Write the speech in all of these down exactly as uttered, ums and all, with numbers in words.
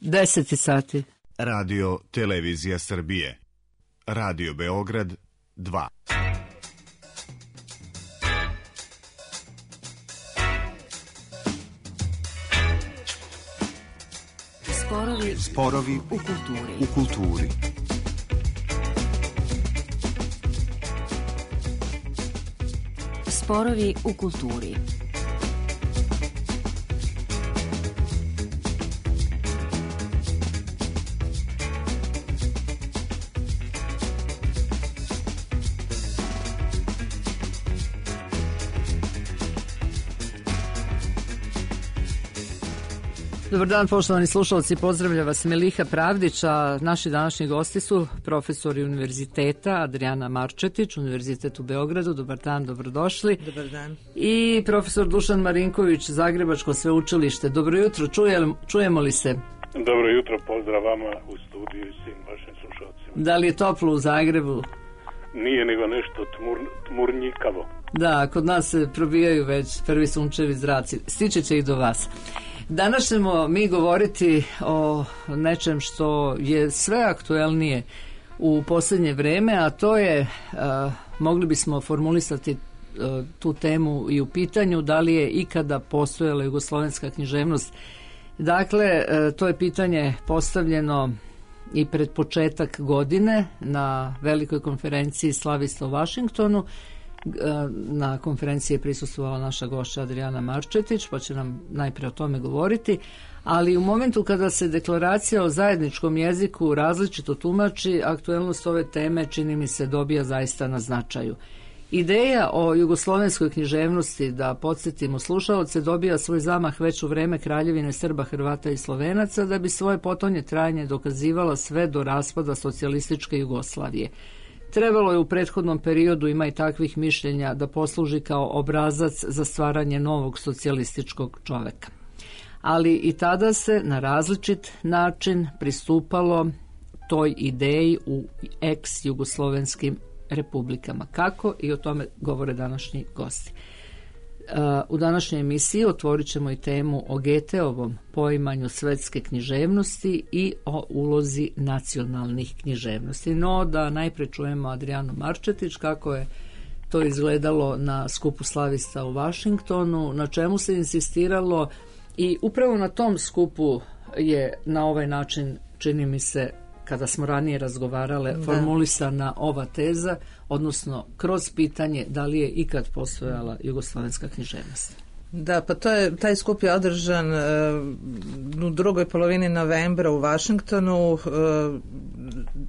deset sati. Radio Televizija Srbije. Radio Beograd dva. Sporovi, Sporovi u kulturi. U kulturi. Sporovi u kulturi. Dobar dan, poštovani slušalci, pozdravlja vas Meliha Pravdić, a naši današnji gosti su profesori univerziteta Adrijana Marčetić, Univerzitet u Beogradu. Dobar dan, dobrodošli. Dobar dan. I profesor Dušan Marinković, Zagrebačko sveučilište. Dobro jutro, čujemo, čujemo li se? Dobro jutro, pozdrav vama u studiju i svim vašim slušalcima. Da li je toplo u Zagrebu? Nije, nego nešto tmur, tmurnjikavo. Da, kod nas se probijaju već prvi sunčevi zraci. Stiče će i do vas. Danas ćemo mi govoriti o nečem što je sve aktuelnije u posljednje vrijeme, a to je, a, mogli bismo formulisati a, tu temu i u pitanju da li je ikada postojala jugoslovenska književnost. Dakle, a, to je pitanje postavljeno i pred početak godine na velikoj konferenciji slavista u Washingtonu. Na konferenciji je prisustvovala naša gošća Adrijana Marčetić, pa će nam najprije o tome govoriti, ali u momentu kada se deklaracija o zajedničkom jeziku različito tumači, aktuelnost ove teme čini mi se dobija zaista na značaju. Ideja o jugoslovenskoj književnosti, da podsjetimo slušaoce, dobija svoj zamah već u vreme Kraljevine Srba, Hrvata i Slovenaca, da bi svoje potonje trajanje dokazivala sve do raspada socijalističke Jugoslavije. Trebalo je u prethodnom periodu, ima i takvih mišljenja, da posluži kao obrazac za stvaranje novog socijalističkog čoveka. Ali i tada se na različit način pristupalo toj ideji u ex-jugoslovenskim republikama. Kako? I o tome govore današnji gosti. U današnjoj emisiji otvorit ćemo i temu o Goetheovom poimanju svetske književnosti i o ulozi nacionalnih književnosti. No, da najprije čujemo Adrijanu Marčetić, kako je to izgledalo na skupu slavista u Washingtonu, na čemu se insistiralo i upravo na tom skupu je na ovaj način, čini mi se, kada smo ranije razgovarale, da, formulisana ova teza, odnosno kroz pitanje da li je ikad postojala jugoslovenska književnost. Da, pa to je, taj skup je održan uh, u drugoj polovini novembra u Washingtonu. Uh,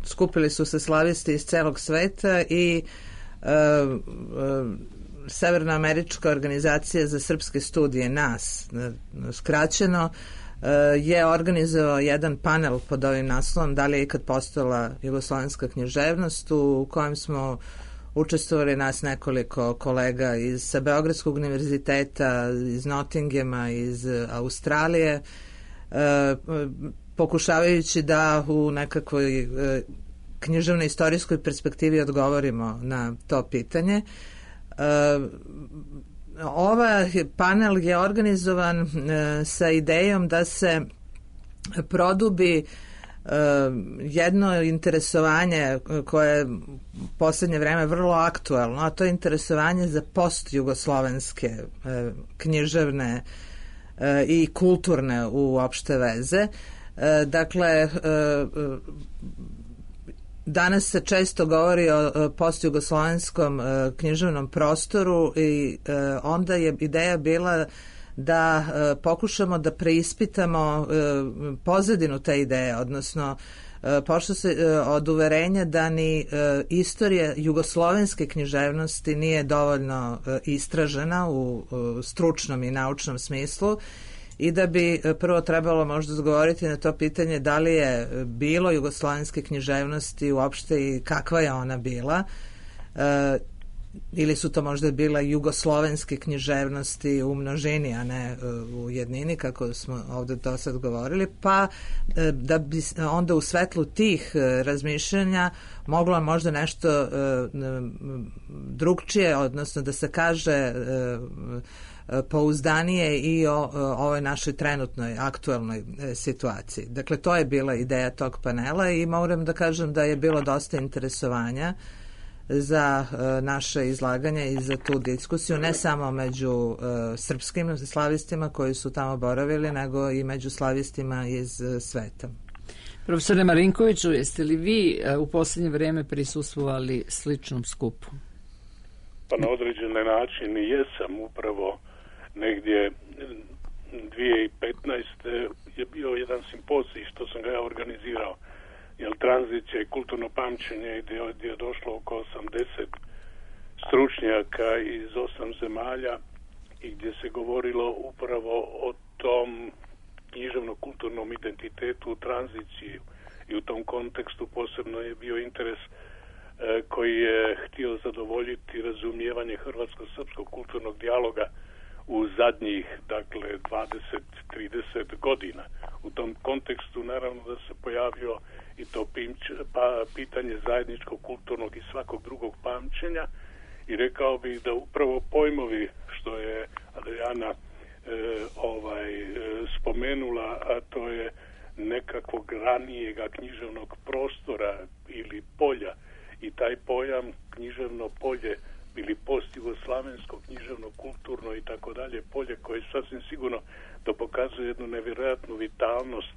skupili su se slavisti iz celog sveta i uh, uh, Severnoamerička organizacija za srpske studije, nas, uh, skraćeno, je organizovao jedan panel pod ovim naslovom da li je ikad postojala jugoslovenska književnost, u kojem smo učestvovali nas nekoliko kolega iz sa Beogradskog univerziteta, iz Nottinghama, iz Australije, pokušavajući da u nekakvoj književnoj istorijskoj perspektivi odgovorimo na to pitanje. Ova panel je organizovan e, sa idejom da se produbi e, jedno interesovanje koje je posljednje vreme vrlo aktuelno, a to je interesovanje za post-jugoslovenske e, književne e, i kulturne uopšte veze. E, dakle, e, danas se često govori o postjugoslovenskom e, književnom prostoru i e, onda je ideja bila da e, pokušamo da preispitamo e, pozadinu te ideje, odnosno e, pošto se e, od uverenja da ni e, istorija jugoslovenske književnosti nije dovoljno e, istražena u e, stručnom i naučnom smislu, i da bi prvo trebalo možda odgovoriti na to pitanje da li je bilo jugoslovenske književnosti uopšte i kakva je ona bila, e, ili su to možda bila jugoslovenske književnosti u množini, a ne u jednini, kako smo ovdje do sad govorili, pa e, da bi onda u svetlu tih razmišljanja moglo možda nešto e, drugčije, odnosno da se kaže e, pouzdanije i o, o ovoj našoj trenutnoj aktualnoj situaciji. Dakle, to je bila ideja tog panela i moram da kažem da je bilo dosta interesovanja za uh, naše izlaganje i za tu diskusiju, ne samo među uh, srpskim slavistima koji su tamo boravili, nego i među slavistima iz uh, sveta. Profesore Marinkoviću, jeste li vi uh, u posljednje vrijeme prisustvovali sličnom skupu? Pa na određene način jesam. Upravo negdje dvije tisuće petnaeste. je bio jedan simpozij što sam ga ja organizirao, jer tranzicija i kulturno pamćenje, gdje, gdje je došlo oko osamdeset stručnjaka iz osam zemalja i gdje se govorilo upravo o tom književno-kulturnom identitetu u tranziciji, i u tom kontekstu posebno je bio interes e, koji je htio zadovoljiti razumijevanje hrvatsko-srpskog kulturnog dijaloga u zadnjih, dakle, dvadeset do trideset godina. U tom kontekstu naravno da se pojavio i to pimć, pa, pitanje zajedničkog kulturnog i svakog drugog pamćenja, i rekao bih da upravo pojmovi što je Adriana e, ovaj, e, spomenula, a to je nekakvog ranijega književnog prostora ili polja, i taj pojam književno polje ili post-jugoslavensko književno, kulturno i tako dalje polje, koje sasvim sigurno da pokazuje jednu nevjerojatnu vitalnost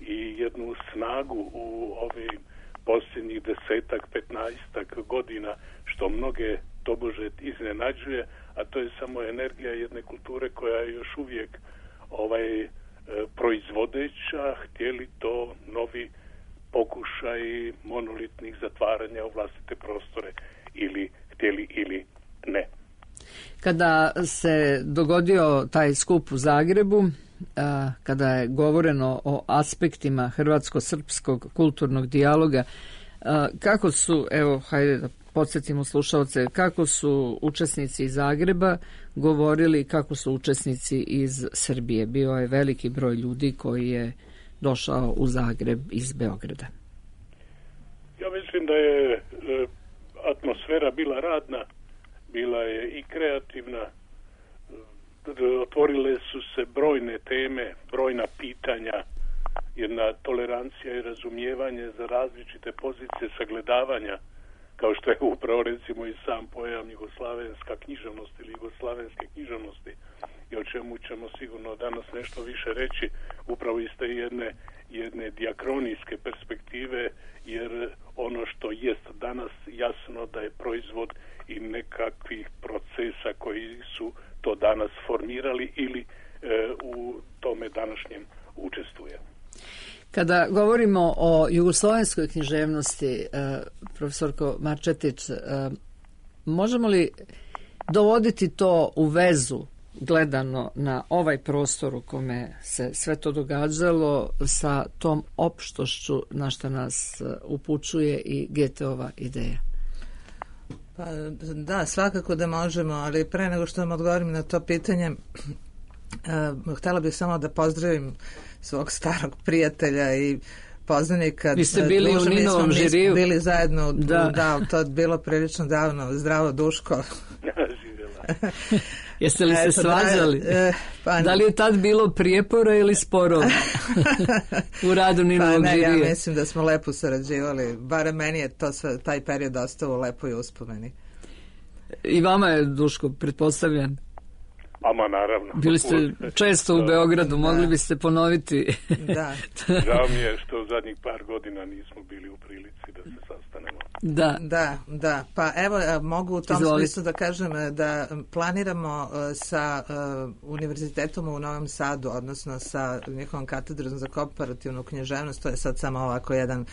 i jednu snagu u ovim posljednjih desetak, petnaestak godina, što mnoge tobože iznenađuje, a to je samo energija jedne kulture koja je još uvijek ovaj e, proizvodeća, htjeli to novi pokušaj monolitnih zatvaranja u vlastite prostore ili htjeli ili ne. Kada se dogodio taj skup u Zagrebu, a, kada je govoreno o aspektima hrvatsko-srpskog kulturnog dijaloga, a, kako su, evo, hajde da podsjetimo slušalce, kako su učesnici iz Zagreba govorili, kako su učesnici iz Srbije? Bio je veliki broj ljudi koji je došao u Zagreb iz Beograda. Ja mislim da je e, atmosfera bila radna, bila je i kreativna, otvorile su se brojne teme, brojna pitanja, jedna tolerancija i razumijevanje za različite pozicije sagledavanja, kao što je upravo recimo i sam pojam jugoslavenska književnost ili jugoslavenske književnosti, i o čemu ćemo sigurno danas nešto više reći, upravo iz te jedne, jedne diakronijske perspektive, jer ono što jest danas jasno da je proizvod i nekakvih procesa koji su to danas formirali ili e, u tome današnjem učestvuje. Kada govorimo o jugoslovenskoj književnosti, profesorko Marčetić, možemo li dovoditi to u vezu gledano na ovaj prostor u kome se sve to događalo sa tom opštošću na što nas upućuje i Goetheova ideja? Pa, da, svakako da možemo, ali pre nego što vam odgovorim na to pitanje, uh, htjela bih samo da pozdravim svog starog prijatelja i poznanika. Vi ste bili Dušan, u Ninovom žiriju. Bili zajedno, da. da, to je bilo prilično davno. Zdravo, Duško. Jeste li se Eto, svađali? Da, e, pa, da li je tad bilo prijepora ili sporova u radu Ninovog pa, ne, žirija? Ja mislim da smo lepo sarađivali. Barem meni je to sve, taj period ostao u lepoj uspomeni. I vama je, Duško, pretpostavljan? Ama naravno. Bili ste često u Beogradu, mogli da. biste ponoviti. Da. Žao mi je što u zadnjih par godina nismo bili u prilici da se sastanemo. Da, da, da. Pa evo, mogu u tom Izvoli. smislu da kažem da planiramo sa uh, univerzitetom u Novom Sadu, odnosno sa njihovom katedrom za komparativnu književnost, to je sad samo ovako jedan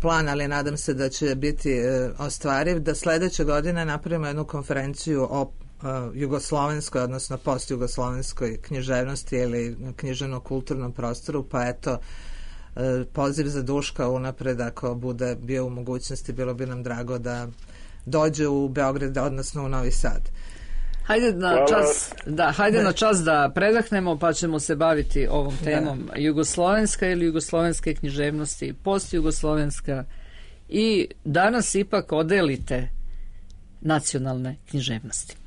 plan, ali nadam se da će biti uh, ostvariv, da sledeće godine napravimo jednu konferenciju o Uh, jugoslovenskoj, odnosno post-jugoslovenskoj književnosti ili književno-kulturnom prostoru, pa eto, uh, poziv za Duška unapred, ako bude bio u mogućnosti, bilo bi nam drago da dođe u Beograd, odnosno u Novi Sad. Hajde na čas, da, hajde na čas da predahnemo, pa ćemo se baviti ovom temom. Da. Jugoslovenska ili jugoslovenske književnosti, post-jugoslovenska, i danas ipak odelite nacionalne književnosti.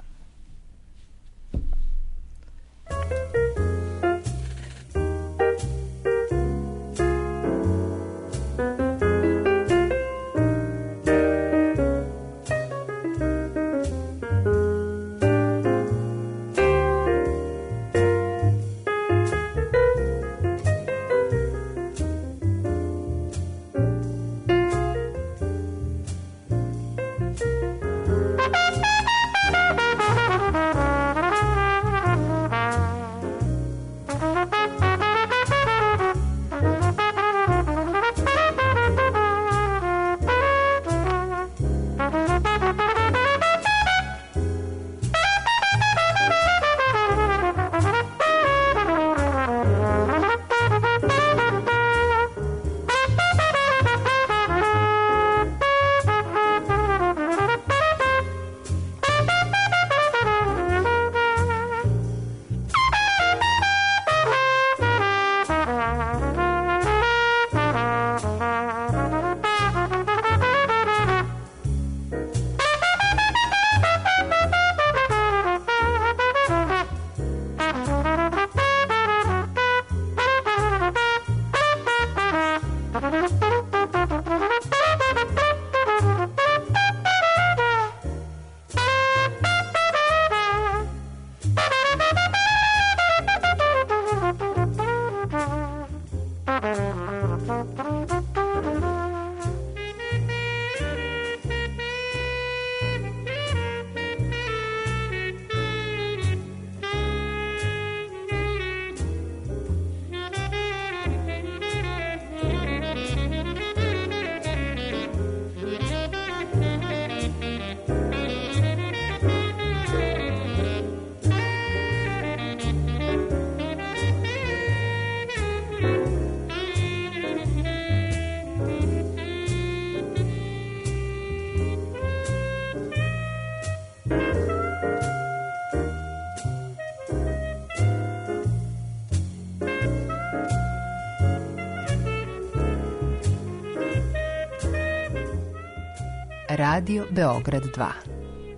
Radio Beograd dva.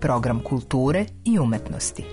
Program kulture i umetnosti.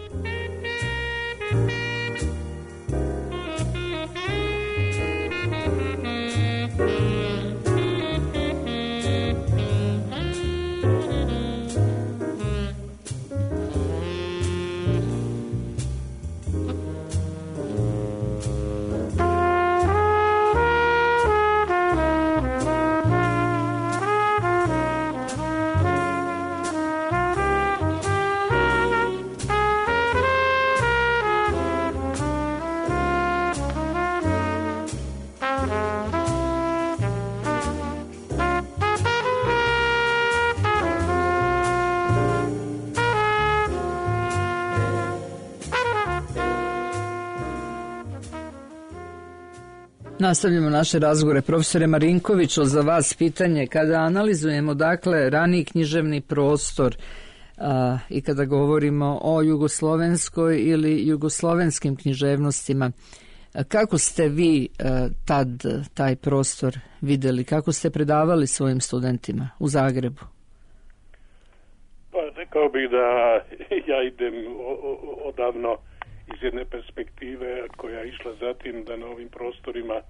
Nastavljamo naše razgovore. Profesore Marinkoviću, za vas pitanje, kada analizujemo dakle rani književni prostor a, i kada govorimo o jugoslovenskoj ili jugoslovenskim književnostima, a, kako ste vi a, tad taj prostor vidjeli, kako ste predavali svojim studentima u Zagrebu? Pa rekao bih da ja idem odavno iz jedne perspektive koja je išla zatim da na ovim prostorima e,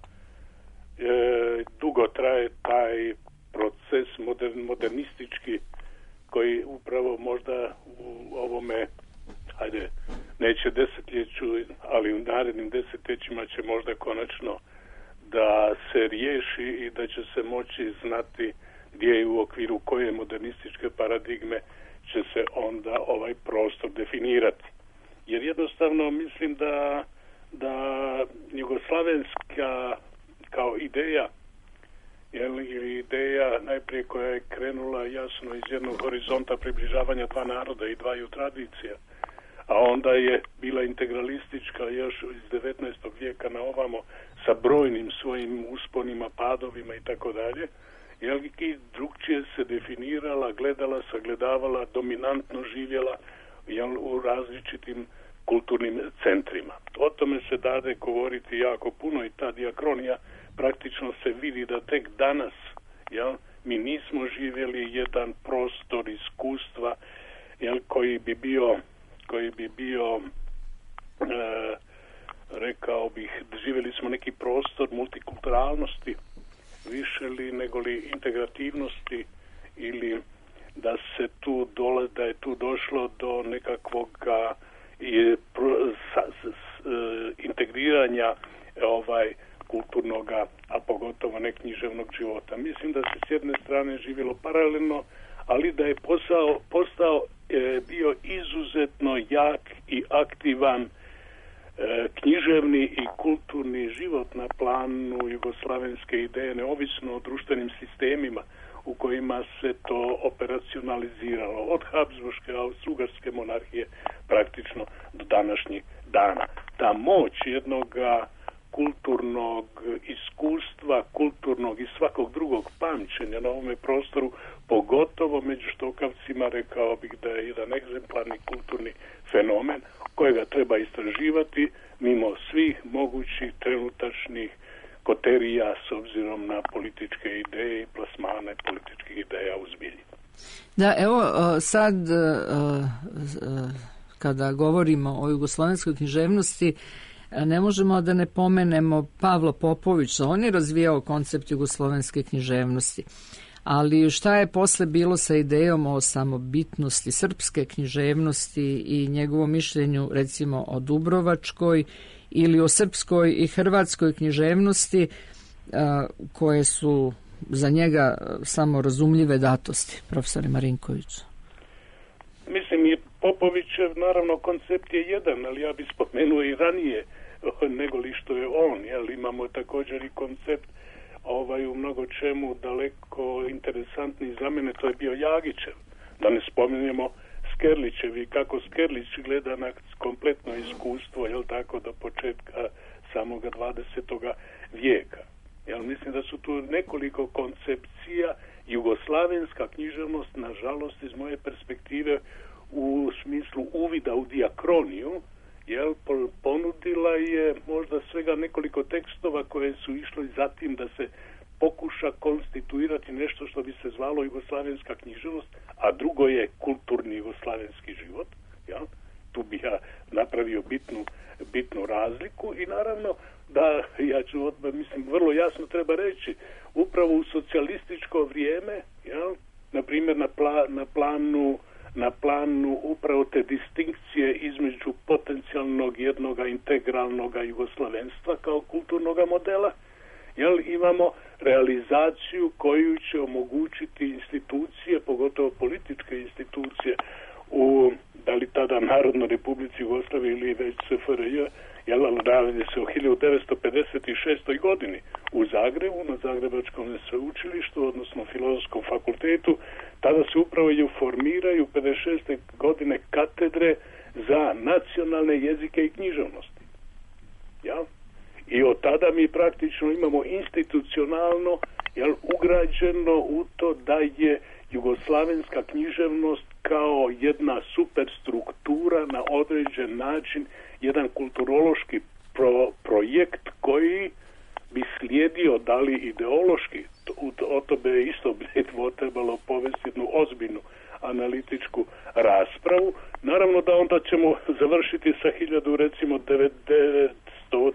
dugo traje taj proces modern, modernistički koji upravo možda u ovome, hajde, neće desetljeću, ali u narednim desetljećima će možda konačno da se riješi i da će se moći znati gdje je u okviru koje modernističke paradigme će se onda ovaj prostor definirati. Jer jednostavno mislim da, da jugoslavenska kao ideja ili ideja najprije koja je krenula jasno iz jednog horizonta približavanja dva naroda i dvaju tradicija, a onda je bila integralistička još iz devetnaestog vijeka na ovamo sa brojnim svojim usponima, padovima i tako dalje, jer i drugčije se definirala, gledala, sagledavala, dominantno živjela jel, u različitim kulturnim centrima. O tome se dade govoriti jako puno i ta diakronija praktično se vidi da tek danas jel, mi nismo živjeli jedan prostor iskustva jel, koji bi bio koji bi bio e, rekao bih, živjeli smo neki prostor multikulturalnosti više li nego li integrativnosti, ili da se tu dole, da je tu došlo do nekakvog i, pro, sa, s, s, integriranja ovaj kulturnog, a pogotovo neknjiževnog života. Mislim da se s jedne strane živjelo paralelno, ali da je posao, postao e, bio izuzetno jak i aktivan e, književni i kulturni život na planu jugoslavenske ideje, neovisno o društvenim sistemima u kojima se to operacionaliziralo, od Habsburške, Austro-Ugarske monarhije praktično do današnjih dana. Ta moć jednog kulturnog iskustva, kulturnog i svakog drugog pamćenja na ovome prostoru, pogotovo među štokavcima, rekao bih da je jedan egzemplarni kulturni fenomen kojega treba istraživati mimo svih mogućih trenutačnih koterija s obzirom na političke ideje i plasmane političkih ideja u zbilji. Da, evo sad kada govorimo o jugoslovenskoj književnosti, ne možemo da ne pomenemo Pavla Popovića. On je razvijao koncept jugoslovenske književnosti. Ali šta je posle bilo sa idejom o samobitnosti srpske književnosti i njegovom mišljenju, recimo o Dubrovačkoj ili o srpskoj i hrvatskoj književnosti, koje su za njega samo razumljive datosti, profesore Marinkoviću? Mislim, i Popovićev, naravno, koncept je jedan, ali ja bih spomenuo i ranije nego li što je on, jel imamo također i koncept ovaj u mnogo čemu daleko interesantni za mene, to je bio Jagićev. Da ne spominjemo Skerlićev i kako Skerlić gleda na kompletno iskustvo, jel tako, do početka samoga dvadesetoga vijeka. Jel mislim da su tu nekoliko koncepcija. Jugoslavenska književnost, nažalost, iz moje perspektive, u smislu uvida u dijakroniju, jel, ponudila je možda svega nekoliko tekstova koje su išli za tim da se pokuša konstituirati nešto što bi se zvalo jugoslavenska književnost, a drugo je kulturni jugoslavenski život. Jel? Tu bi ja napravio bitnu, bitnu razliku i naravno da, ja ću odmah, mislim, vrlo jasno treba reći, upravo u socijalističko vrijeme, jel, na primjer na, pla, na planu na planu upravo te distinkcije između potencijalnog jednog integralnog jugoslavenstva kao kulturnog modela, jel, imamo realizaciju koju će omogućiti institucije, pogotovo političke institucije u, da li tada Narodnoj Republici Jugoslavije ili već S F R J, jel, ali radi se o hiljadu devetsto pedeset šestoj godini u Zagrebu, na Zagrebačkom sveučilištu, odnosno Filozofskom fakultetu. Tada se upravo i formiraju pedeset šeste godine katedre za nacionalne jezike i književnosti. Ja? I od tada mi praktično imamo institucionalno, jel, ugrađeno u to da je jugoslavenska književnost kao jedna superstruktura na određen način, jedan kulturološki pro, projekt koji bi slijedio, da li ideološki, o to bi isto bi trebalo povesti jednu ozbiljnu analitičku raspravu. Naravno da onda ćemo završiti sa hiljadu, recimo, devetsto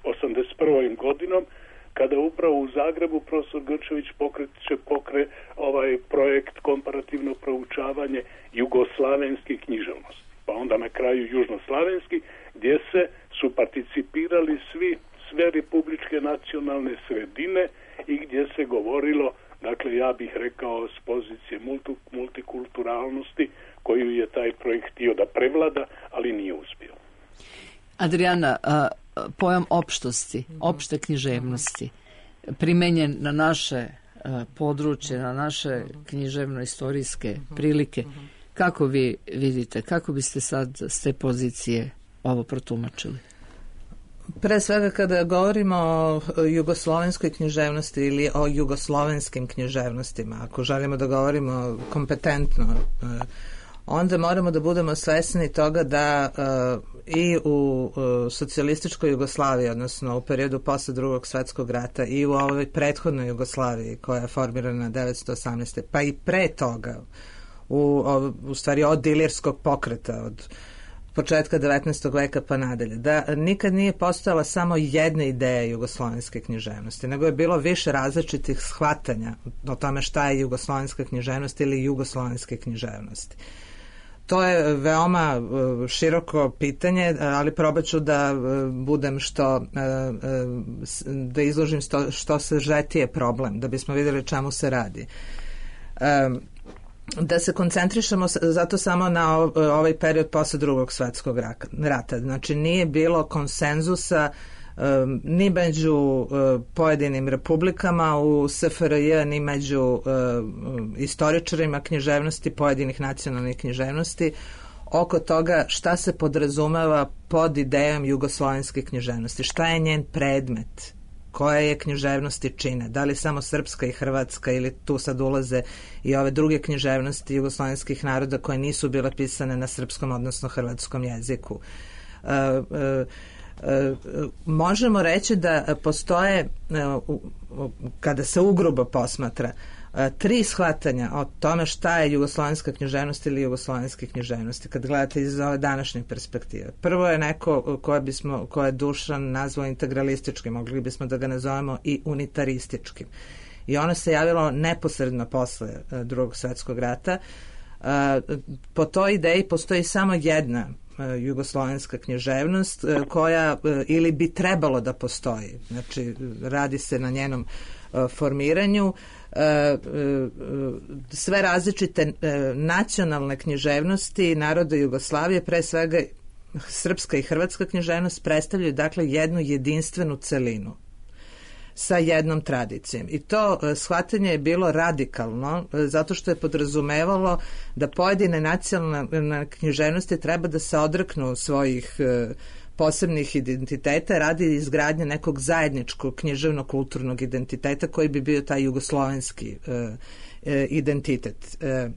osamdeset prvom godinom, kada upravo u Zagrebu profesor Grčević pokreće pokre ovaj projekt komparativno proučavanje jugoslavenskih književnosti. Pa onda na kraju južnoslavenski, gdje se su participirali svi, sve republičke nacionalne sredine i gdje se govorilo, dakle ja bih rekao s pozicije multi, multikulturalnosti koju je taj projekt htio da prevlada, ali nije uspio. Adriana, a, pojam opštosti, opšte književnosti, primenjen na naše a, područje, na naše književno-istorijske prilike, kako vi vidite, kako biste sad s te pozicije ovo protumačili? Pre svega kada govorimo o jugoslovenskoj književnosti ili o jugoslovenskim književnostima, ako želimo da govorimo kompetentno, onda moramo da budemo svesni toga da uh, i u uh, socijalističkoj Jugoslaviji, odnosno u periodu posle drugog svjetskog rata, i u ovoj prethodnoj Jugoslaviji koja je formirana devetsto osamnaeste pa i pre toga, u, u stvari od dilirskog pokreta, od početka devetnaestog veka pa nadalje, da nikad nije postojala samo jedna ideja jugoslovenske književnosti, nego je bilo više različitih shvatanja o tome šta je jugoslovenska književnost ili jugoslovenske književnosti. To je veoma široko pitanje, ali probat ću da budem što, da izložim što, što sažetije problem, da bismo vidjeli čemu se radi. Da se koncentrišemo zato samo na ovaj period posle drugog svjetskog rata. Znači nije bilo konsenzusa um, ni među uh, pojedinim republikama u S F R J, ni među uh, istoričarima književnosti, pojedinih nacionalnih književnosti, oko toga šta se podrazumeva pod idejom jugoslovenske književnosti, šta je njen predmet, koje je književnosti čine, da li samo srpska i hrvatska ili tu sad ulaze i ove druge književnosti jugoslovenskih naroda koje nisu bile pisane na srpskom odnosno hrvatskom jeziku. E, e, e, možemo reći da postoje, e, kada se ugrubo posmatra, tri shvatanja o tome šta je jugoslovenska književnost ili jugoslovenske književnosti kad gledate iz ove današnje perspektive. Prvo je neko koje bismo, koje je Dušan nazvao integralističkim, mogli bismo da ga nazovemo i unitarističkim. I ono se javilo neposredno posle drugog svjetskog rata. Po toj ideji postoji samo jedna jugoslovenska književnost koja ili bi trebalo da postoji. Znači radi se na njenom formiranju. Sve različite nacionalne književnosti naroda Jugoslavije, pre svega srpska i hrvatska književnost, predstavljaju dakle jednu jedinstvenu celinu sa jednom tradicijom. I to shvatanje je bilo radikalno zato što je podrazumevalo da pojedine nacionalne književnosti treba da se odreknu svojih posebnih identiteta radi izgradnje nekog zajedničkog književno-kulturnog identiteta koji bi bio taj jugoslovenski e, e, identitet. E,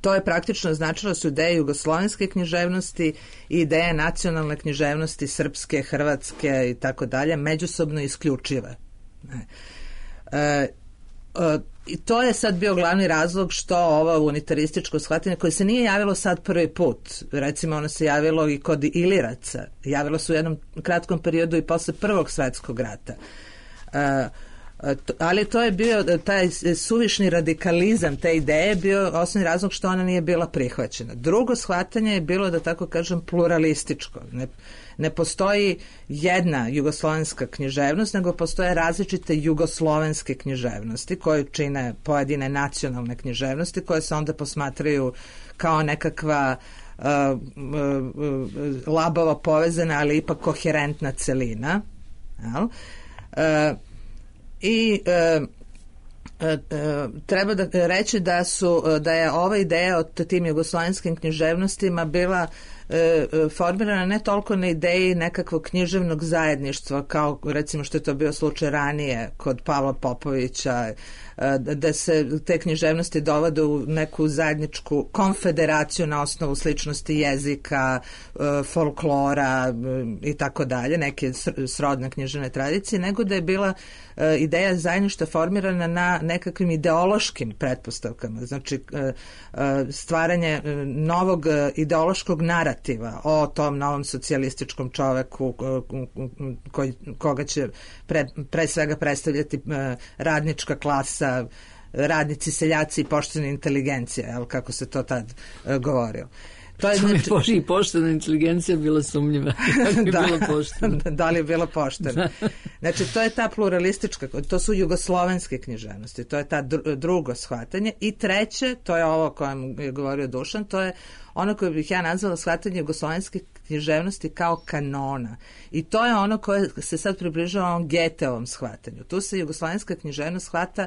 to je praktično značilo su ideje jugoslovenske književnosti i ideje nacionalne književnosti srpske, hrvatske i tako dalje međusobno isključive. E, e, I to je sad bio glavni razlog što ovo unitarističko shvatanje koje se nije javilo sad prvi put. Recimo ono se javilo i kod Iliraca. Javilo se u jednom kratkom periodu i posle prvog svjetskog rata. E, to, ali to je bio taj suvišni radikalizam te ideje bio osnovni razlog što ona nije bila prihvaćena. Drugo shvatanje je bilo, da tako kažem, pluralističko. Ne, ne postoji jedna jugoslovenska književnost, nego postoje različite jugoslovenske književnosti koje čine pojedine nacionalne književnosti koje se onda posmatraju kao nekakva uh, uh, labavo povezana, ali ipak koherentna celina. Jel? Uh, I uh, Uh, uh, treba da reći da su uh, da je ova ideja o tim jugoslovenskim književnostima bila uh, uh, formirana ne toliko na ideji nekakvog književnog zajedništva kao recimo što je to bio slučaj ranije kod Pavla Popovića, uh, da se te književnosti dovode u neku zajedničku konfederaciju na osnovu sličnosti jezika, uh, folklora uh, i tako dalje, neke srodne književne tradicije, nego da je bila uh, ideja zajedništva formirana na nekakvim ideološkim pretpostavkama, znači stvaranje novog ideološkog narativa o tom novom socijalističkom čoveku koji, koga će pre, pre svega predstavljati radnička klasa, radnici, seljaci i poštena inteligencija, jel, kako se to tad govorilo. To je znači, i poštena inteligencija bila sumnjiva. Da, bila da li je bila poštena. Znači, to je ta pluralistička, to su jugoslovenske književnosti, to je ta drugo shvatanje. I treće, to je ovo o kojem je govorio Dušan, to je ono koje bih ja nazvala shvatanje jugoslovenske književnosti kao kanona. I to je ono koje se sad približava ovom Goetheovom shvatanju. Tu se jugoslovenska književnost shvata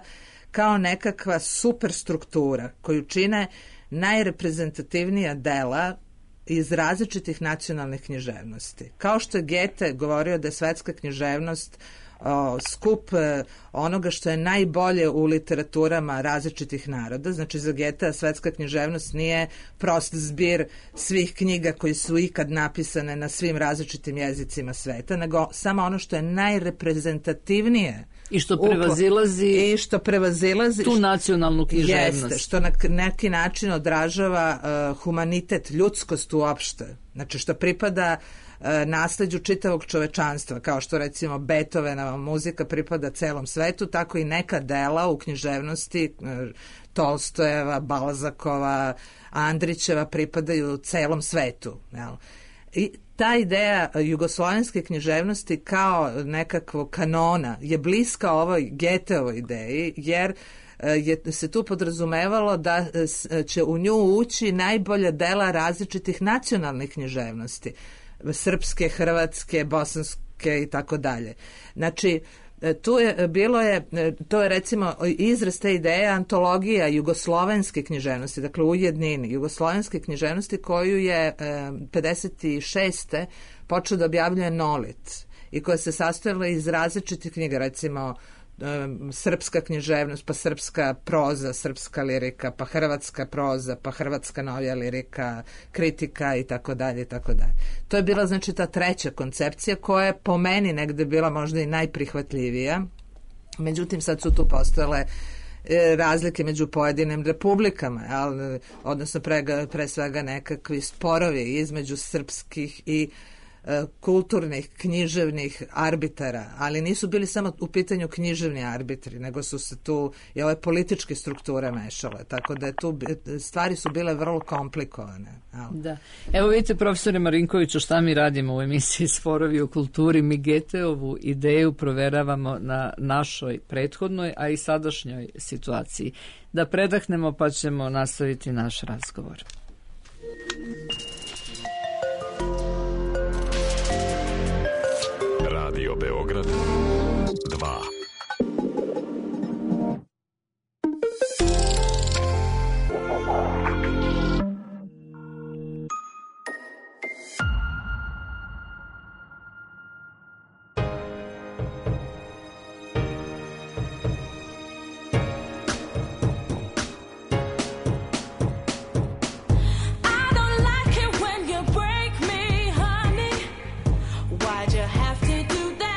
kao nekakva superstruktura koju čine najreprezentativnija dela iz različitih nacionalnih književnosti. Kao što je Goethe govorio da je svetska književnost o, skup e, onoga što je najbolje u literaturama različitih naroda. Znači za Goethea svetska književnost nije prost zbir svih knjiga koji su ikad napisane na svim različitim jezicima sveta, nego samo ono što je najreprezentativnije i što prevazilazi i što prevazilazi tu nacionalnu književnost. Jeste, što na neki način odražava uh, humanitet, ljudskost uopšte. Znači što pripada uh, nasleđu čitavog čovečanstva, kao što recimo Beethovenova muzika pripada celom svetu, tako i neka dela u književnosti uh, Tolstojeva, Balzakova, Andrićeva pripadaju celom svetu. Jel? I ta ideja jugoslovenske književnosti kao nekakvog kanona je bliska ovoj Goetheovoj ideji, jer je se tu podrazumevalo da će u nju ući najbolja dela različitih nacionalnih književnosti, srpske, hrvatske, bosanske i tako dalje. Znači, tu je bilo je, to je recimo izraz te ideje antologija jugoslovenske književnosti, dakle u jednini jugoslovenske književnosti koju je pedeset šeste počeo da objavljuje Nolit i koja se sastojala iz različitih knjiga, recimo srpska književnost, pa srpska proza, srpska lirika, pa hrvatska proza, pa hrvatska novija lirika, kritika i tako dalje i tako dalje. To je bila znači ta treća koncepcija koja je po meni negde bila možda i najprihvatljivija. Međutim sad su tu postojale razlike među pojedinim republikama, ali, odnosno pre, pre svega nekakvi sporovi između srpskih i kulturnih, književnih arbitara, ali nisu bili samo u pitanju književni arbitri, nego su se tu i ove političke strukture mešale, tako da je tu stvari su bile vrlo komplikovane. Da. Evo vidite, profesore Marinkoviću, šta mi radimo u emisiji Sporovi o kulturi. Mi Goetheovu ideju proveravamo na našoj prethodnoj, a i sadašnjoj situaciji. Da predahnemo pa ćemo nastaviti naš razgovor. Radio Beograd dva. Why'd you have to do that?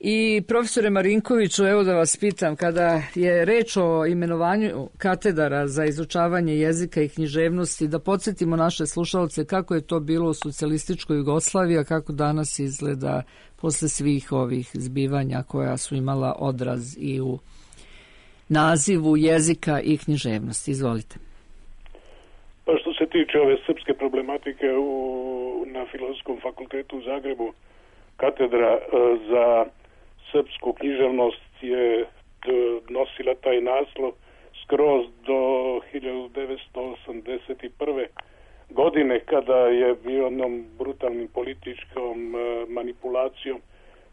I profesore Marinkoviću, evo da vas pitam, kada je reč o imenovanju katedara za izučavanje jezika i književnosti, da podsjetimo naše slušalce kako je to bilo u socijalističkoj Jugoslaviji, a kako danas izgleda posle svih ovih zbivanja koja su imala odraz i u nazivu jezika i književnosti. Izvolite. Pa što se tiče ove srpske problematike u, na Filozofskom fakultetu u Zagrebu, katedra za srpsku književnost je nosila taj naslov skroz do hiljadu devetsto osamdeset prve. godine, kada je bio jednom brutalnim političkom manipulacijom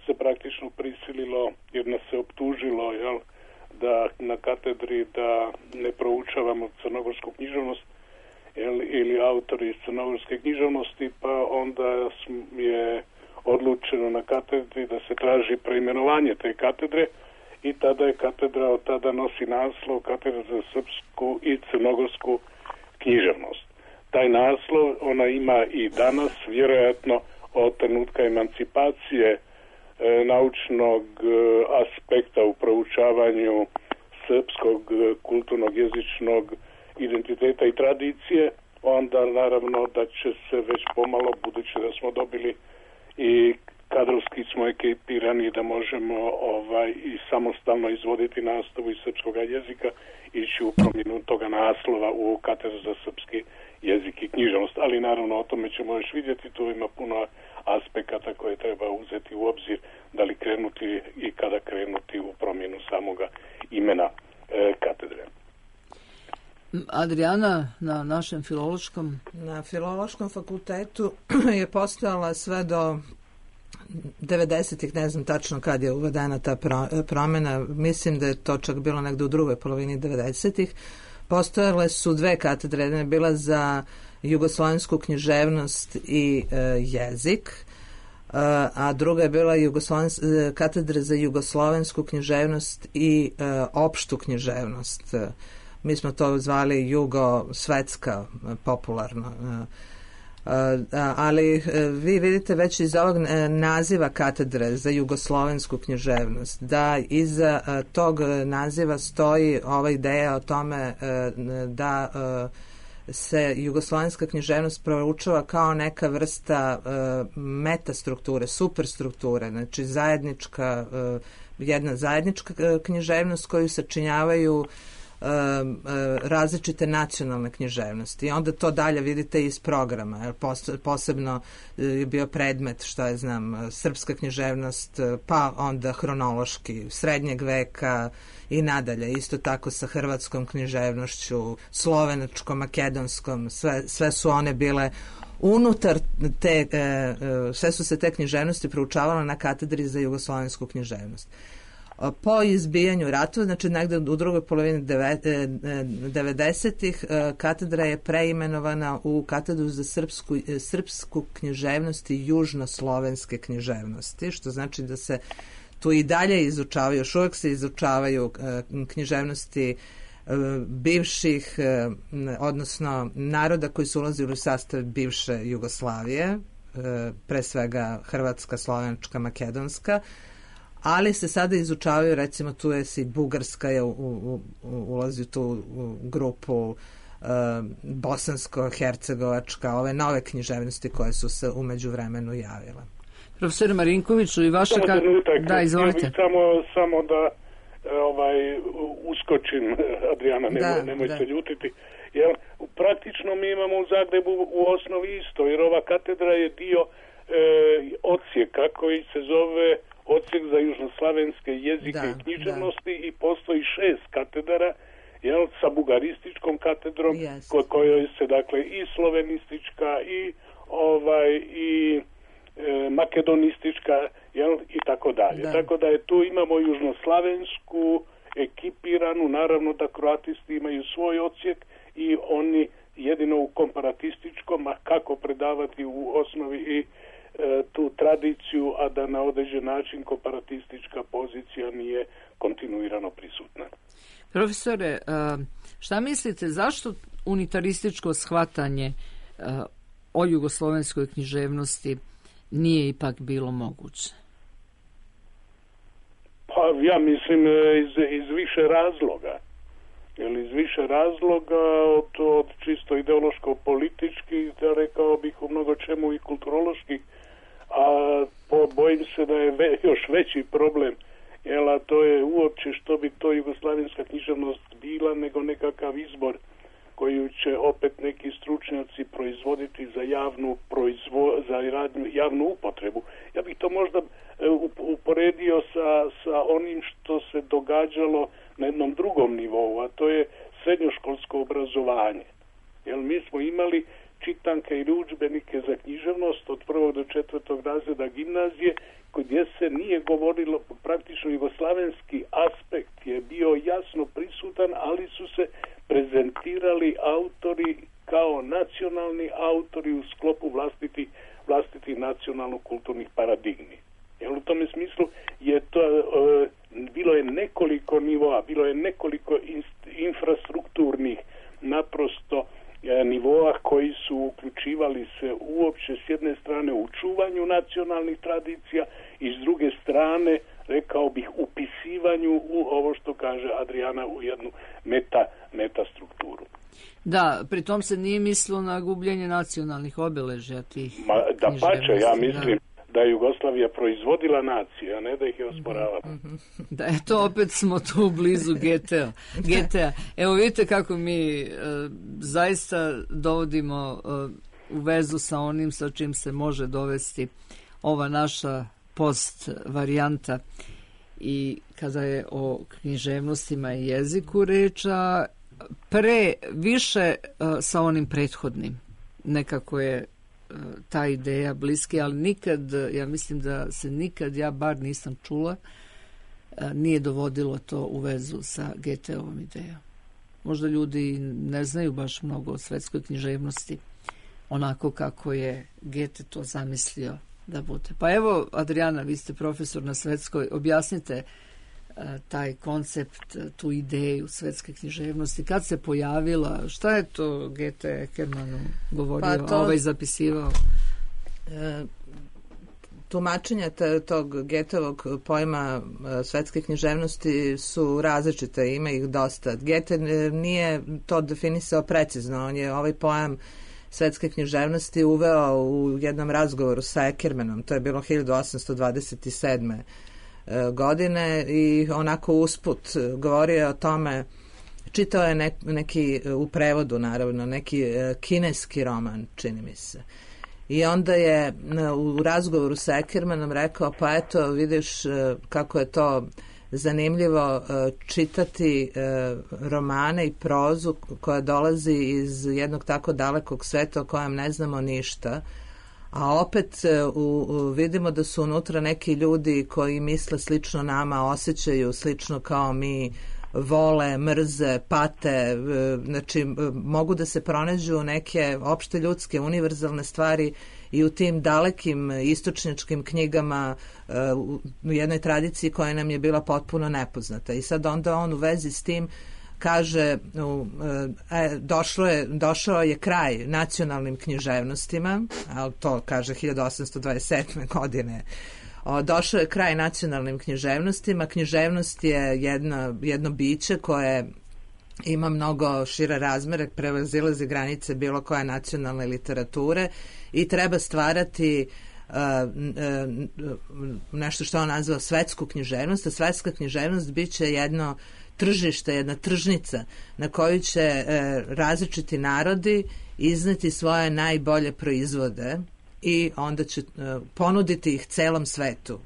se praktično prisililo, jer nas se optužilo, jel, da na katedri da ne proučavamo crnogorsku književnost, jel, ili autori iz crnogorske književnosti, pa onda je odlučeno na katedri da se traži preimenovanje te katedre i tada je katedra od tada nosi naslov Katedra za srpsku i crnogorsku književnost. Taj naslov ona ima i danas, vjerojatno od trenutka emancipacije e, naučnog e, aspekta u proučavanju srpskog e, kulturnog jezičnog identiteta i tradicije, onda naravno da će se već pomalo, budući da smo dobili i kadrovski smo ekipirani da možemo ovaj i samostalno izvoditi nastavu iz srpskog jezika, ići u promjenu toga naslova u Katedru za srpski jezik i književnost. Ali naravno o tome ćemo još vidjeti, tu ima puno aspekata koje treba uzeti u obzir, da li krenuti i kada krenuti u promjenu samoga imena e, katedre. Adriana, na našem filološkom? Na filološkom fakultetu je postojala sve do devedesetih, ne znam tačno kad je uvedena ta promjena, mislim da je to čak bilo negdje u drugoj polovini devedesetih. Postojale su dve katedre, jedna je bila za jugoslovensku književnost i e, jezik, e, a druga je bila katedra za jugoslovensku književnost i e, opštu književnost. Mi smo to zvali jugosvetska popularno. Ali vi vidite već iz ovog naziva katedre za jugoslovensku književnost da iza tog naziva stoji ova ideja o tome da se jugoslovenska književnost proučava kao neka vrsta metastrukture, superstrukture, znači zajednička, jedna zajednička književnost koju sačinjavaju različite nacionalne književnosti i onda to dalje vidite iz programa, jer posebno je bio predmet, što je znam, srpska književnost, pa onda hronološki srednjeg veka i nadalje, isto tako sa hrvatskom književnošću, slovenačkom, makedonskom, sve, sve su one bile unutar te, sve su se te književnosti proučavale na katedri za jugoslovensku književnost. Po izbijanju ratova, znači negdje u drugoj polovini devedesetih, katedra je preimenovana u Katedru za srpsku, srpsku književnost i južnoslovenske književnosti, što znači da se tu i dalje izučavaju, još uvijek se izučavaju književnosti bivših, odnosno naroda koji su ulazili u sastav bivše Jugoslavije, pre svega Hrvatska, Slovenačka, Makedonska, ali se sada izučavaju, recimo tu je si Bugarska je u, u, u, ulazi u tu u grupu uh, bosansko-hercegovačka, ove nove književnosti koje su se u međuvremenu javile. Profesor Marinkoviću, i vaše... Samo trenutak, da, izvolite. Samo, samo da ovaj, uskočim, Adriana, nemoj, da, nemoj da. se ljutiti. Jer praktično mi imamo u Zagrebu u osnovi isto, jer ova katedra je dio e, odsjeka koji se zove Odsjek za južnoslavenske jezike da, i književnosti da. I postoji šest katedara, jel, sa bugarističkom katedrom, yes. ko, kojoj se dakle i slovenistička i ovaj i e, makedonistička, jel, i tako dalje. Da. Tako da je tu imamo južnoslavensku ekipiranu, naravno da kroatisti imaju svoj odsjek i oni jedino u komparatističkom, a kako predavati u osnovi i tu tradiciju, a da na određen način komparatistička pozicija nije kontinuirano prisutna. Profesore, šta mislite, zašto unitarističko shvatanje o jugoslovenskoj književnosti nije ipak bilo moguće? Pa ja mislim iz, iz više razloga. Jer iz više razloga od, od čisto ideološko-političkih, da rekao bih u mnogo čemu i kulturoloških, a po, bojim se da je ve, još veći problem, jer a to je uopće što bi to jugoslavenska književnost bila, nego nekakav izbor koju će opet neki stručnjaci proizvoditi za javnu proizvo, za radnju, javnu upotrebu. Ja bih to možda uporedio sa, sa onim što se događalo na jednom drugom nivou, a to je srednjoškolsko obrazovanje. Jer mi smo imali čitanke ili udžbenike za književnost od prvog do četvrtog razreda gimnazije, gdje se nije govorilo, praktično jugoslavenski aspekt je bio jasno prisutan, ali su se prezentirali autori kao nacionalni autori u sklopu vlastitih vlastiti nacionalno-kulturnih paradigmi. Jer u tome smislu je to, e, bilo je nekoliko nivoa, bilo je nekoliko inst, infrastrukturnih naprosto e, nivoa koji su uključivali se uopće s jedne strane u čuvanju nacionalnih tradicija i s druge strane, rekao bih, upisivanju u ovo što kaže Adriana u jednu meta, meta strukturu. Da, pritom se nije mislilo na gubljenje nacionalnih obeležja tih. Ma, da pače, ja mislim da. da je Jugoslavija proizvodila nacije, a ne da ih je osporavala. Da, eto, opet smo tu blizu G T A. G T A. Evo vidite kako mi e, zaista dovodimo e, u vezu sa onim sa čim se može dovesti ova naša post varijanta i kada je o književnostima i jeziku reča, pre više uh, sa onim prethodnim. Nekako je uh, ta ideja bliski, ali nikad, ja mislim da se nikad, ja bar nisam čula, uh, nije dovodilo to u vezu sa G T ovom idejom. Možda ljudi ne znaju baš mnogo o svetskoj književnosti, onako kako je G T to zamislio da bude. Pa evo, Adriana, vi ste profesor na svetskoj, objasnite taj koncept, tu ideju svetske književnosti, kad se pojavila, šta je to G T Eckermanu govorio, pa to, ovaj zapisivao? E, tumačenja tog Goethevog pojma svetske književnosti su različite, ima ih dosta. Goethe nije to definisao precizno, on je ovaj pojam svetske književnosti uveo u jednom razgovoru sa Eckermanom, to je bilo hiljadu osamsto dvadeset sedme godine i onako usput govorio o tome, čitao je ne, neki, u prevodu naravno, neki kineski roman, čini mi se. I onda je u razgovoru sa Eckermanom rekao, pa eto, vidiš kako je to zanimljivo čitati romane i prozu koja dolazi iz jednog tako dalekog sveta o kojem ne znamo ništa, a opet u, u, vidimo da su unutra neki ljudi koji misle slično nama, osjećaju slično kao mi, vole, mrze, pate, znači mogu da se pronađu neke opšte ljudske, univerzalne stvari i u tim dalekim istočnjačkim knjigama u jednoj tradiciji koja nam je bila potpuno nepoznata. I sad onda on u vezi s tim kaže, e, došlo je, došao je kraj nacionalnim književnostima, ali to kaže hiljadu osamsto dvadeset sedme godine. O, došao je kraj nacionalnim književnostima. Književnost je jedno, jedno biće koje ima mnogo šire razmere, prevazilazi granice bilo koje nacionalne literature i treba stvarati uh, uh, nešto što on nazvao svetsku književnost. A svetska književnost bit će jedno tržište, jedna tržnica na koju će e, različiti narodi izneti svoje najbolje proizvode i onda će e, ponuditi ih celom svetu.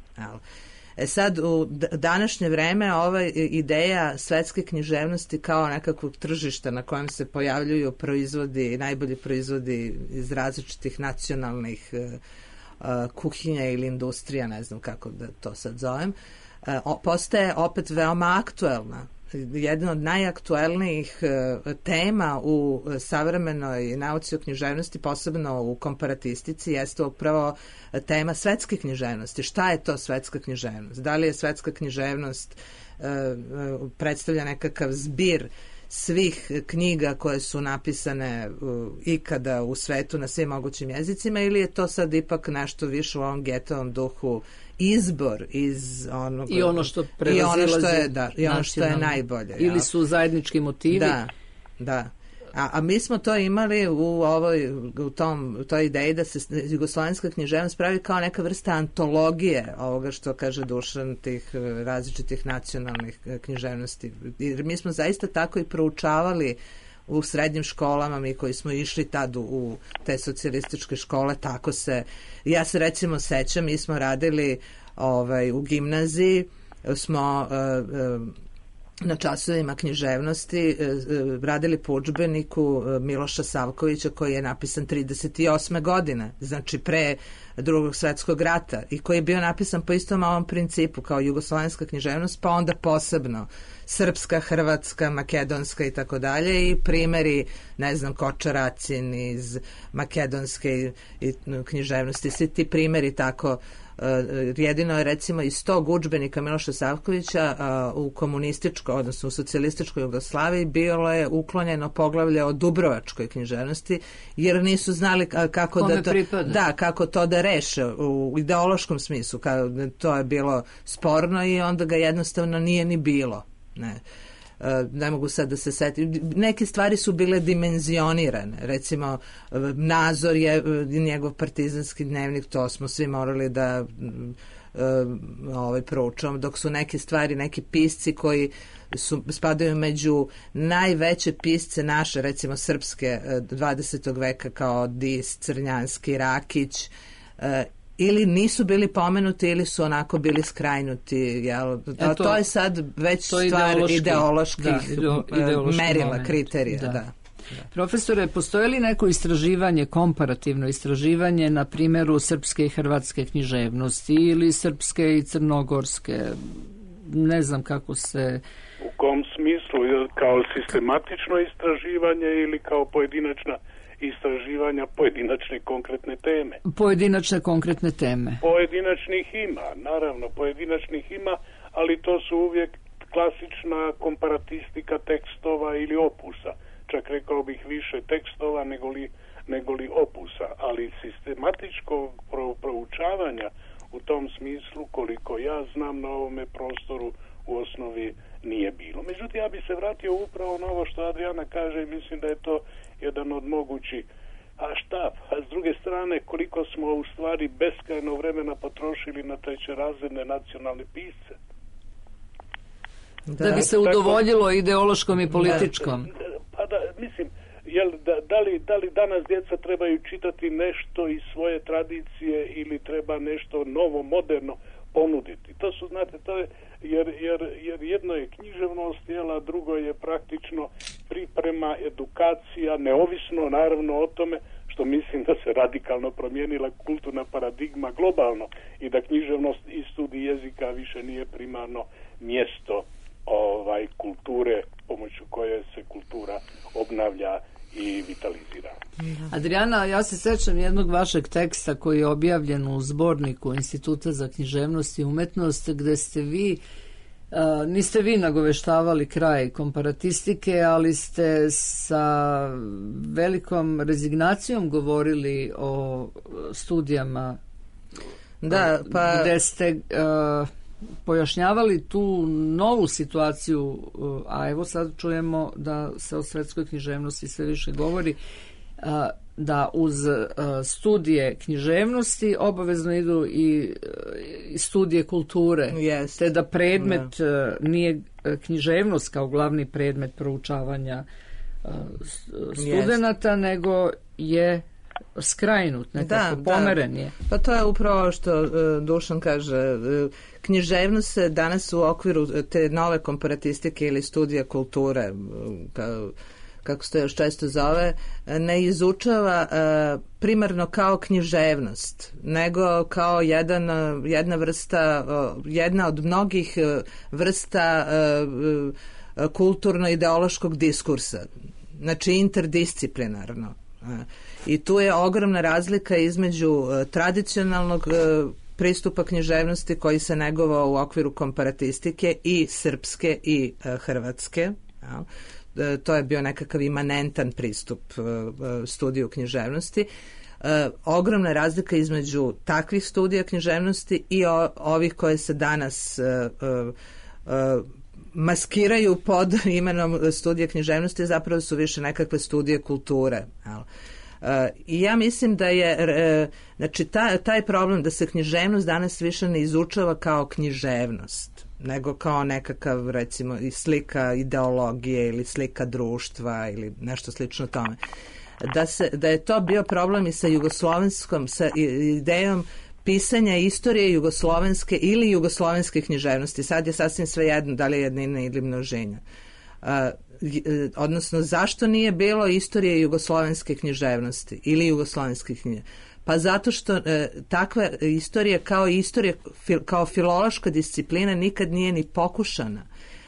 E sad, u današnje vreme ova ideja svetske književnosti kao nekakvog tržišta na kojem se pojavljuju proizvodi, najbolji proizvodi iz različitih nacionalnih e, kuhinja ili industrija, ne znam kako da to sad zovem, e, postaje opet veoma aktuelna. Jedna od najaktuelnijih uh, tema u savremenoj nauci o književnosti, posebno u komparatistici, jeste upravo tema svetske književnosti. Šta je to svetska književnost? Da li je svetska književnost uh, uh, predstavlja nekakav zbir svih knjiga koje su napisane uh, ikada u svetu na svim mogućim jezicima, ili je to sad ipak nešto više u ovom Goetheovom duhu izbor iz onog... I ono što i ono što je, da, i ono što je najbolje. Ili ja. su zajednički motivi. Da, da. A, a mi smo to imali u ovoj, u tom, u toj ideji da se jugoslovenska književnost pravi kao neka vrsta antologije ovoga što kaže Dušan, tih različitih nacionalnih književnosti. Jer mi smo zaista tako i proučavali u srednjim školama, mi koji smo išli tad u, u te socijalističke škole, tako se, ja se recimo sećam, mi smo radili ovaj, u gimnaziji, smo uh, uh, na časovima književnosti radili po udžbeniku Miloša Savkovića koji je napisan trideset osme godine, znači pre Drugog svetskog rata, i koji je bio napisan po istom ovom principu kao jugoslovenska književnost, pa onda posebno srpska, hrvatska, makedonska i tako dalje, i primeri, ne znam, Kočaracin iz makedonske književnosti, svi ti primeri tako. Jedino je recimo iz tog udžbenika Miloša Savkovića u komunističkoj, odnosno u socijalističkoj Jugoslaviji bilo je uklonjeno poglavlje o dubrovačkoj književnosti, jer nisu znali kako Kome da to, pripada? da, kako to da reše u ideološkom smislu, kao to je bilo sporno i onda ga jednostavno nije ni bilo. Ne. Ne mogu sad da se setim. Neke stvari su bile dimenzionirane. Recimo, Nazor je njegov partizanski dnevnik, to smo svi morali da ovaj, proučavamo, dok su neke stvari, neki pisci koji su, spadaju među najveće pisce naše, recimo srpske dvadesetog veka, kao Dis, Crnjanski, Rakić, ili nisu bili pomenuti ili su onako bili skrajnuti, jel? To, e to, to je sad već to stvar ideološki, ideoloških da, ideološki merila, moment. kriterija. Da. Da. Da. Profesore, postoje li neko istraživanje, komparativno istraživanje na primjeru srpske i hrvatske književnosti ili srpske i crnogorske? Ne znam kako se... U kom smislu? Kao sistematično istraživanje ili kao pojedinačna istraživanja pojedinačne konkretne teme? Pojedinačne konkretne teme. Pojedinačnih ima, naravno, pojedinačnih ima, ali to su uvijek klasična komparatistika tekstova ili opusa. Čak rekao bih više tekstova nego li, nego li opusa, ali sistematičkog pro, proučavanja u tom smislu, koliko ja znam, na ovome prostoru u osnovi nije bilo. Međutim, ja bi se vratio upravo na ovo što Adriana kaže i mislim da je to jedan od mogućih. A šta? A s druge strane, koliko smo u stvari beskrajno vremena potrošili na trećerazredne nacionalne pisce? Da, da bi se udovoljilo tako, ideološkom i političkom. Pa da, mislim, jel, da, da, li, da li danas djeca trebaju čitati nešto iz svoje tradicije ili treba nešto novo, moderno ponuditi? To su, znate, to je, jer, jer, jer jedno je književnost, jel, a drugo je praktično priprema, edukacija, neovisno naravno o tome što mislim da se radikalno promijenila kulturna paradigma globalno i da književnost i studij jezika više nije primarno mjesto ovaj kulture pomoću koje se kultura obnavlja i vitalizira. Adriana, ja se sećam jednog vašeg teksta koji je objavljen u zborniku Instituta za književnost i umetnost, gde ste vi, a, niste vi nagoveštavali kraj komparatistike, ali ste sa velikom rezignacijom govorili o studijama, da, pa... gde ste... A, pojašnjavali tu novu situaciju, a evo sad čujemo da se o svetskoj književnosti sve više govori, da uz studije književnosti obavezno idu i studije kulture, yes. te da predmet yeah. nije književnost kao glavni predmet proučavanja studenata, yes. nego je skrajnut, nekako da, pomeren je. Da. Pa to je upravo što uh, Dušan kaže. Uh, književnost se danas u okviru te nove komparatistike ili studija kulture, uh, ka, kako se to još često zove, ne izučava uh, primarno kao književnost, nego kao jedan, uh, jedna vrsta, uh, jedna od mnogih uh, vrsta uh, uh, kulturno-ideološkog diskursa. Znači interdisciplinarno. Uh, I tu je ogromna razlika između uh, tradicionalnog uh, pristupa književnosti koji se negovao u okviru komparatistike i srpske i uh, hrvatske. Ja. to je bio nekakav imanentan pristup studiju književnosti. Ogromna razlika između takvih studija književnosti i ovih koje se danas maskiraju pod imenom studija književnosti, zapravo su više nekakve studije kulture. I ja mislim da je, znači, taj, taj problem da se književnost danas više ne izučava kao književnost, nego kao nekakav, recimo, slika ideologije ili slika društva ili nešto slično tome. Da, se, da je to bio problem i sa jugoslovenskom, sa idejom pisanja istorije jugoslovenske ili jugoslovenske književnosti. Sad je sasvim svejedno da li je jednina ili množenja. Uh, odnosno, zašto nije bilo istorije jugoslovenske književnosti ili jugoslovenske knjige? Pa zato što uh, takva istorija kao istorija, fil, kao filološka disciplina nikad nije ni pokušana,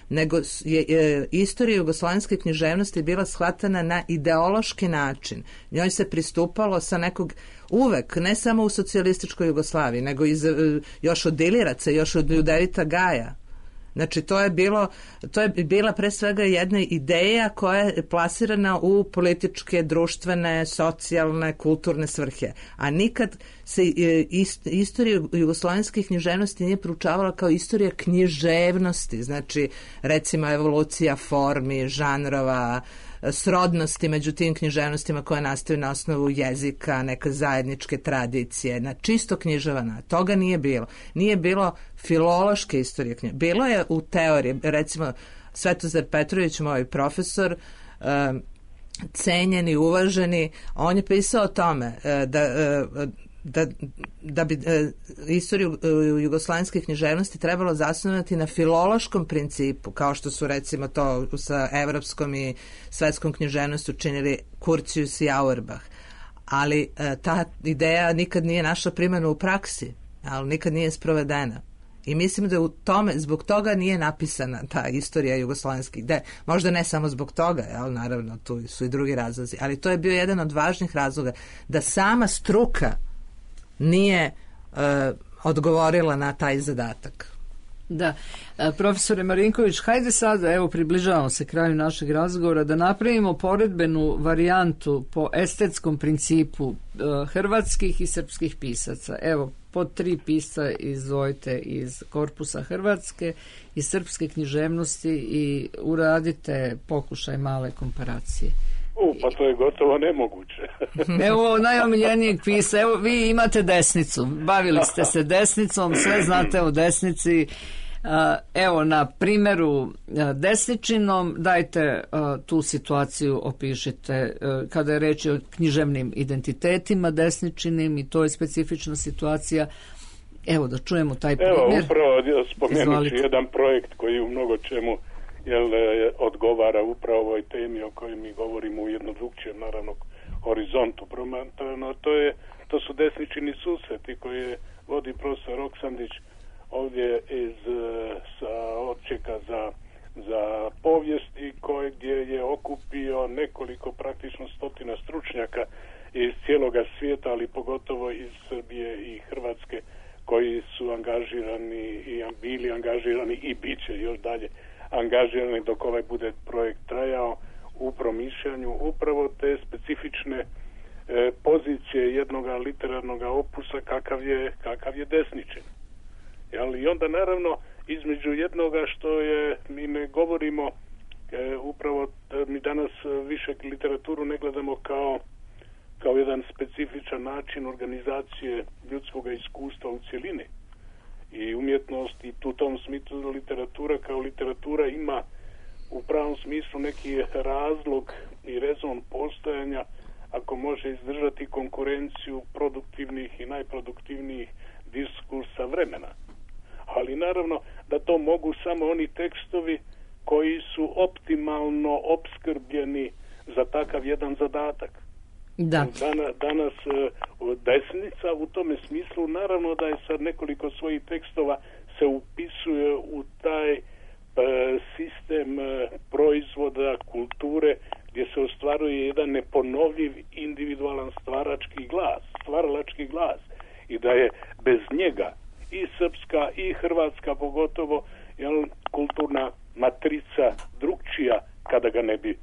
nego je, je istorija jugoslovenske književnosti bila shvatana na ideološki način. Njoj se pristupalo sa nekog, uvek, ne samo u socijalističkoj Jugoslaviji, nego iz, još od Iliraca, još od Ljudevita Gaja. Znači, to je bilo, to je bila pre svega jedna ideja koja je plasirana u političke, društvene, socijalne, kulturne svrhe. A nikad se ist, istorija jugoslovenske književnosti nije proučavala kao istorija književnosti. Znači, recimo, evolucija formi, žanrova, srodnosti među tim književnostima koje nastaju na osnovu jezika, neke zajedničke tradicije, na čisto književana. Toga nije bilo. Nije bilo filološke istorije književnosti. Bilo je u teoriji, recimo Svetozar Petrović, moj profesor, um, cenjen i uvaženi, on je pisao o tome da da, da bi e, istoriju e, jugoslovenske književnosti trebalo zasnovati na filološkom principu, kao što su recimo to sa evropskom i svetskom književnošću činili Curtius i Auerbach. Ali e, ta ideja nikad nije našla primjenu u praksi, ali nikad nije sprovedena. I mislim da u tome, zbog toga nije napisana ta istorija jugoslovenskih, da, možda ne samo zbog toga, jel, naravno tu su i drugi razlozi, ali to je bio jedan od važnih razloga, da sama struka nije uh, odgovorila na taj zadatak. Da, profesore Marinković, hajde sada, evo približavamo se kraju našeg razgovora, da napravimo poredbenu varijantu po estetskom principu uh, hrvatskih i srpskih pisaca. Evo, po tri pisca izdvojite iz korpusa hrvatske i srpske književnosti i uradite pokušaj male komparacije. U, pa to je gotovo nemoguće. Evo najomiljenijeg pisa, evo vi imate desnicu, bavili ste se desnicom, sve znate o desnici. Evo na primjeru desničinom dajte tu situaciju, opišite kada je reč o književnim identitetima desničinim i to je specifična situacija. Evo da čujemo taj primjer. Evo upravo spomenući jedan projekt koji u mnogo čemu jel, odgovara upravo ovoj temi o kojoj mi govorimo u jednom drugčijem naravno horizontu promatrano. To je, to su desničini susreti koje vodi profesor Oksandić ovdje iz sa odsjeka za, za povijest i koje gdje je okupio nekoliko praktično stotina stručnjaka iz cijeloga svijeta, ali pogotovo iz Srbije i Hrvatske koji su angažirani i bili angažirani i bit će još dalje angažirani dok ovaj bude projekt trajao u promišljanju upravo te specifične e, pozicije jednog literarnog opusa kakav je, kakav je desničin. Jel? I onda naravno između jednoga što je, mi ne govorimo e, upravo, mi danas više literaturu ne gledamo kao, kao jedan specifičan način organizacije ljudskog iskustva u cjelini. I umjetnost i u tom smislu literatura kao literatura ima u pravom smislu neki razlog i rezon postojanja ako može izdržati konkurenciju produktivnih i najproduktivnijih diskursa vremena. Ali naravno da to mogu samo oni tekstovi koji su optimalno opskrbljeni za takav jedan zadatak. Da. Danas, danas desnica u tome smislu naravno da je sad nekoliko svojih tekstova se upisuje u taj e, sistem e, proizvoda kulture gdje se ostvaruje jedan neponovljiv individualan stvarački glas, stvaralački glas i da je bez njega i srpska i hrvatska pogotovo jel, kulturna matrica drugčija kada ga ne bi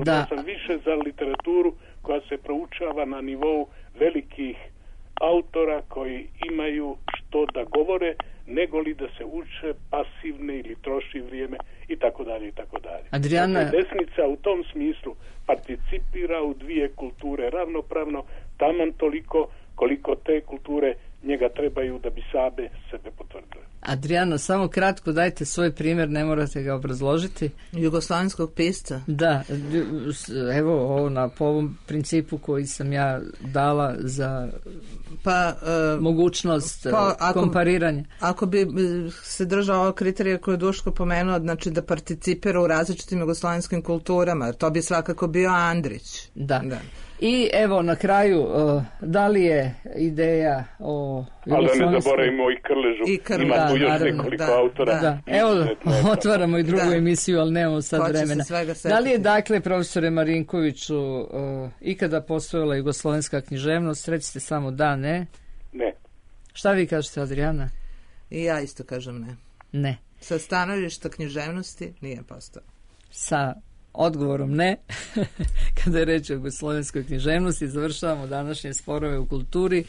smislu da. da sam više za literaturu koja se proučava na nivou velikih autora koji imaju što da govore, nego li da se uče pasivne ili troši vrijeme i tako dalje i tako dalje. Adriana... Dakle, desnica u tom smislu participira u dvije kulture ravnopravno, taman toliko koliko te kulture njega trebaju da bi same sebe potvrdile. Adriano, samo kratko dajte svoj primjer, ne morate ga obrazložiti. Jugoslavenskog pisca. Da, evo ovo na po ovom principu koji sam ja dala za pa, uh, mogućnost pa, ako, kompariranja. Ako bi se držao ovog kriterija koje je Duško pomenuo, znači da participira u različitim jugoslavenskim kulturama, to bi svakako bio Andrić. Da. da. I evo na kraju, uh, da li je ideja o... Ali da ne zaboravimo i Krležu, I Krležu. Ima tu još naravno, nekoliko da, autora. Da. Da. Evo, otvaramo i drugu da. emisiju, ali nemamo sad Hoće vremena. Da li je, dakle, profesore Marinkoviću, uh, ikada postojala jugoslovenska književnost? Recite samo da, ne? Ne. Šta vi kažete, Adriana? I ja isto kažem ne. Ne. Sa stanovišta književnosti nije postao. Sa odgovorom ne, kada je reč o jugoslovenskoj književnosti, završavamo današnje sporove u kulturi.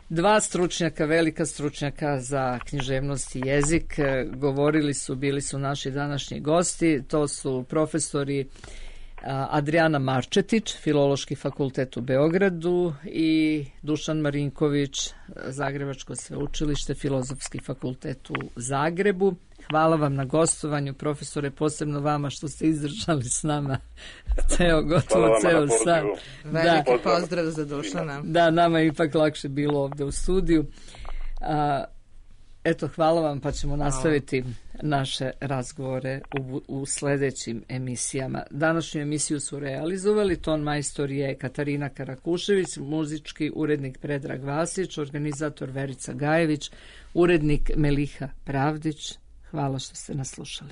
Dva stručnjaka, velika stručnjaka za književnost i jezik, govorili su, bili su naši današnji gosti, to su profesori Adriana Marčetić, Filološki fakultet u Beogradu, i Dušan Marinković, Zagrebačko sveučilište, Filozofski fakultet u Zagrebu. Hvala vam na gostovanju, profesore, posebno vama što ste izdržali s nama ceo, gotovo ceo sat. Veliki da. Pozdrav za Dušana. Da, nama je ipak lakše bilo ovdje u studiju. A, eto, hvala vam, pa ćemo nastaviti naše razgovore u, u sljedećim emisijama. Današnju emisiju su realizovali, ton majstor je Katarina Karakušević, muzički urednik Predrag Vasić, organizator Verica Gajević, urednik Meliha Pravdić. Hvala što ste nas slušali.